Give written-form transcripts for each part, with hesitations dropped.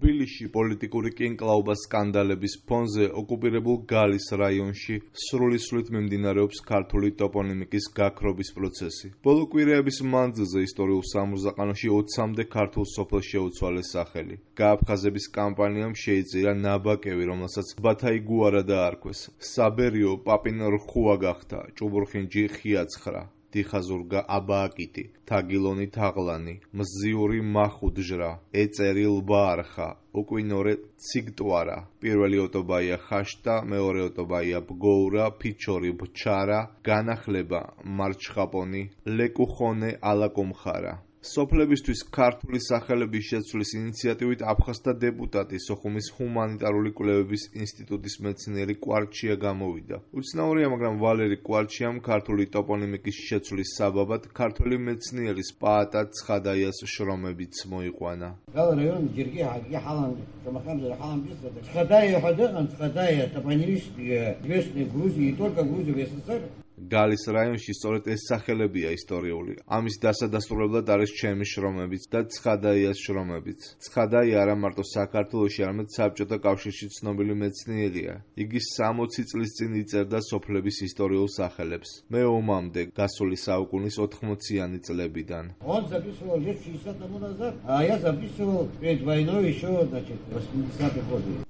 თბილისში პოლიტიკური კინკლაობა სკანდალების ფონზე ოკუპირებულ გალის რაიონში სრულისვლით მიმდინარეობს ქართული ტოპონიმიკის გაქრობის პროცესი. ბოლო კვირეების მანძილზე ისტორიულ სამურზაყანოში 20-მდე ქართულ სოფელს შეუცვალეს სახელი. გააფხაზების კამპანიამ შეიწირა ნაბაკევი, რომელსაც ბათაიგუარა დაარქვეს. საბერიო პაპინ რხუა გახდა, ჭუბურხინჯი ხიაცხრა. დიხაზურგა აბააკიტი, თაგილონი თაღლანი, მზიური მახუდჟრა, ეწერი ლბაარხა, უკვინორე ციგტვარა. პირველი ოტობაია ხაშტა, მეორე ოტობაია ბგოურა, ფიჩორი ბჩარა, განახლება მარჩხაპონი, ლეკუხონე ალაკომხარა. სოფლებისთვის ქართული სახელების შეცვლის ინიციატივით აფხაზთა დეპუტატი სოხუმის ჰუმანიტარული კვლევების ინსტიტუტის მეცნიერი კვარჩია გამოვიდა. უცნაურია, მაგრამ ვალერი კვარჩიამ ქართული ტოპონიმიკის შეცვლის საბაბად ქართველი მეცნიერის პაატა ცხადაიას შრომებიც მოიყვანა. გალის რაიონში სწორედ ეს სახელებია ისტორიული. ამის დასადასტურებლად არის ჩემი შრომებიც და ცხადაიას შრომებიც. ცხადაია არა მარტო საქართველოში, არამედ საბჭოთა კავშირში ცნობილი მეცნიერია. იგი 60 წლის წინ იწერდა სოფლების ისტორიულ სახელებს. მე ომამდე, გასული საუკუნის 80-იანი წლებიდან.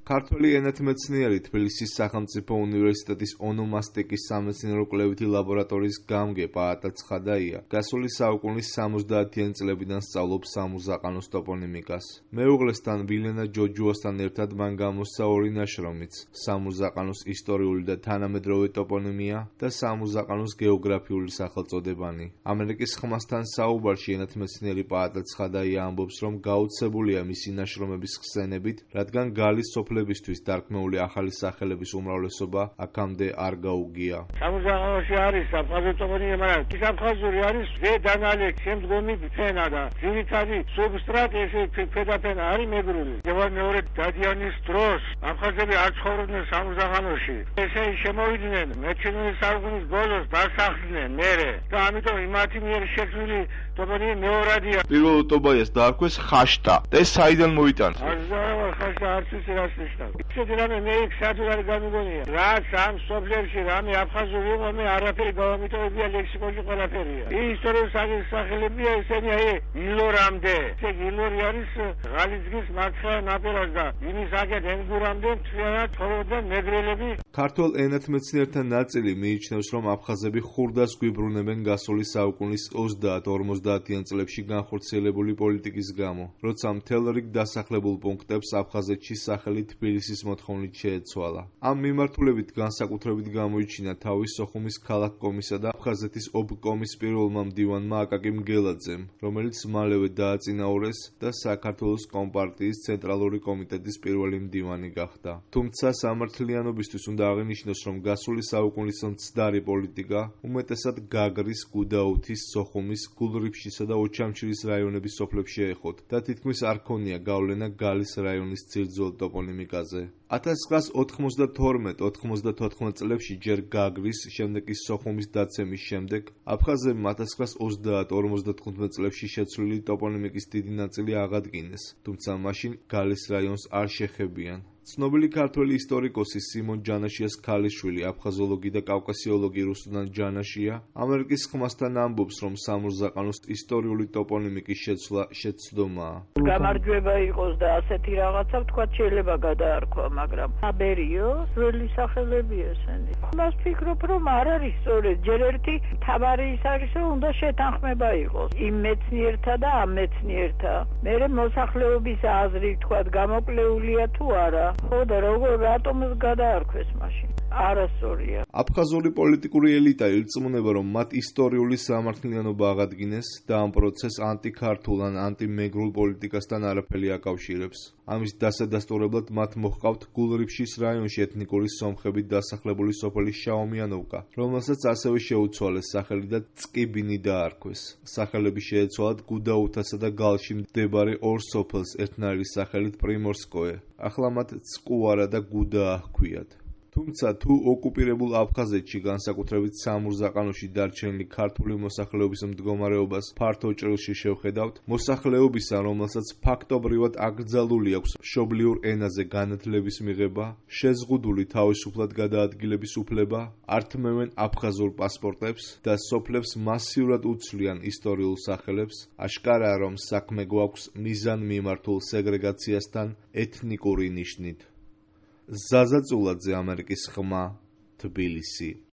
ქართველი ენათმეცნიერი თბილისის სახელმწიფო უნივერსიტეტის ონომასტიკის სამეცნიერო კვლევითი ლაბორატორიის გამგე პაატა ცხადაია გასული საუკუნის 70-იანი წლებიდან სწავლობს სამურზაყანოს ტოპონიმიკას. მეუღლესთან ვილენა ჯოჯუასთან ერთად მან გამოსცა ორი ნაშრომიც: სამურზაყანოს ისტორიული და თანამედროვე ტოპონიმია და სამურზაყანოს გეოგრაფიული სახელწოდებანი. ამერიკის ხმასთან საუბარში ენათმეცნიერი პაატა ცხადაია ამბობს, რომ გაოცებულია მისი ნაშრომების ხსენებით, რადგან გალის სოფლებისთვის დარქმეული ახალი სახელების უმრავლესობა აქამდე არ გაუგია. სამურზაყანოში არის აფხაზური ტოპონიმია, მაგრამ ის აფხაზური არის ზედანალექ შემდგომი ფენა და ძირითადი სუბსტრატი ესე ფედაფენა არის მეგრული. მეორე დადიანის დროს აფხაზები არ ცხოვრობდნენ სამურზაყანოში. ესე შემოვიდნენ მე-19 საუკუნის ბოლოს დასახლდნენ მერე და ამიტომ იმათი მიერ შექმნილი ტოპონიმი მეორადია. პირველ ოტობაიას დაარქვეს ხაშტა და ეს საიდან მოიტანს? ხაშტა არც ის რას ნიშნავს. ისეთი რამე მე იქ სადღაც გამიგონია. რაც ამ სოფლებში რამე აფხაზური იყო, მე არაფერი გავამიტოვებია ლექსიკონში ყველაფერია. ისტორიული სახელებია ესენი ილორამდე. ეს ილორი არის ღალიცგის მარცხენა ნაპირას და იმის აქეთ ენგურამდე მთლიანად ცხოვრობდნენ მეგრელები. ქართველ ენათმეცნიერთა ნაწილი მიიჩნევს, რომ აფხაზები ხურდას გვიბრუნებენ გასული საუკუნის 30-50-იან წლებში განხორციელებული პოლიტიკის გამო, როცა მთელ რიგ დასახლებულ პუნქტებს აფხაზეთში სახელი თბილისის მოთხოვნით შეეცვალა. ამ მიმართულებით განსაკუთრებით გამოიჩინა თავის სოხუმის ქალაქკომისა და აფხაზეთის ობკომის პირველმა მდივანმა აკაკი მგელაძემ, რომელიც მალევე დააწინაურეს და საქართველოს კომპარტიის ცენტრალური კომიტეტის პირველი მდივანი გახდა. თუმცა სამართლიანობისთვის უნდა აღინიშნოს, რომ გასული საუკუნის მცდარი პოლიტიკა უმეტესად გაგრის, გუდაუთის, სოხუმის, გულრიფშისა და ოჩამჩირის რაიონების სოფლებს შეეხოთ და თითქმის არ ქონია გავლენა გალის რაიონის ძირძველ ტოპონიმიკაზე. 1992-94 წლებში ჯერ გაგრის, შემდეგ კი სოხუმის დაცემის შემდეგ აფხაზებმა 1930-55 წლებში შეცვლილი ტოპონიმიკის დიდი ნაწილი აღადგინეს, თუმცა მაშინ გალის რაიონს არ შეხებიან. ცნობილი ქართველი ისტორიკოსი სიმონ ჯანაშიას ქალიშვილი, აფხაზოლოგი და კავკასიოლოგი რუსუდან ჯანაშია ამერიკის ხმასთან ამბობს, რომ სამურზაყანოს ისტორიული ტოპონიმიკის შეცვლა შეცდომაა. გამარჯვება იყოს და ასეთი რაღაცა ვთქვათ შეიძლება გადაარქვა, მაგრამ საბერიო ძველი სახელები ესენი. მას ვფიქრობ, რომ არ არის სწორედ. ჯერ ერთი თავარი ის არის, რომ უნდა შეთანხმება იყოს იმ მეცნიერთა და ამ მეცნიერთა. მერე მოსახლეობის აზრი ვთქვათ გამოკლეულია თუ არა. ხო და როგორ რატომაც გადაარქვეს მაშინ? არასწორია. აფხაზური პოლიტიკური ელიტა ირწმუნება, რომ მათ ისტორიული სამართლიანობა აღადგინეს და ამ პროცესს ანტიქართულ ან ანტიმეგრულ პოლიტიკასთან არაფერი აკავშირებს. ამის დასადასტურებლად მათ მოჰყავთ გულრიფშის რაიონში ეთნიკური სომხებით დასახლებული სოფელი შაომიანოვკა, რომელსაც ასევე შეუცვალეს სახელი და წკიბინი დაარქვეს. სახელები შეეცვალათ გუდაუთასა და გალში მდებარე ორ სოფელს ერთნაირი სახელით პრიმორსკოე. ახლა მათ წკუარა და გუდაა ჰქვიათ. თუმცა თუ ოკუპირებულ აფხაზეთში, განსაკუთრებით სამურზაყანოში დარჩენილი ქართული მოსახლეობის მდგომარეობას ფართო ჭრილში შევხედავთ, მოსახლეობისა, რომელსაც ფაქტობრივად აკრძალული აქვს მშობლიურ ენაზე განათლების მიღება, შეზღუდული თავისუფლად გადაადგილების უფლება, ართმევენ აფხაზურ პასპორტებს და სოფლებს მასიურად უცვლიან ისტორიულ სახელებს, აშკარაა, რომ საქმე გვაქვს მიზანმიმართულ სეგრეგაციასთან ეთნიკური ნიშნით. ზაზა წულაძე, ამერიკის ხმა, თბილისი.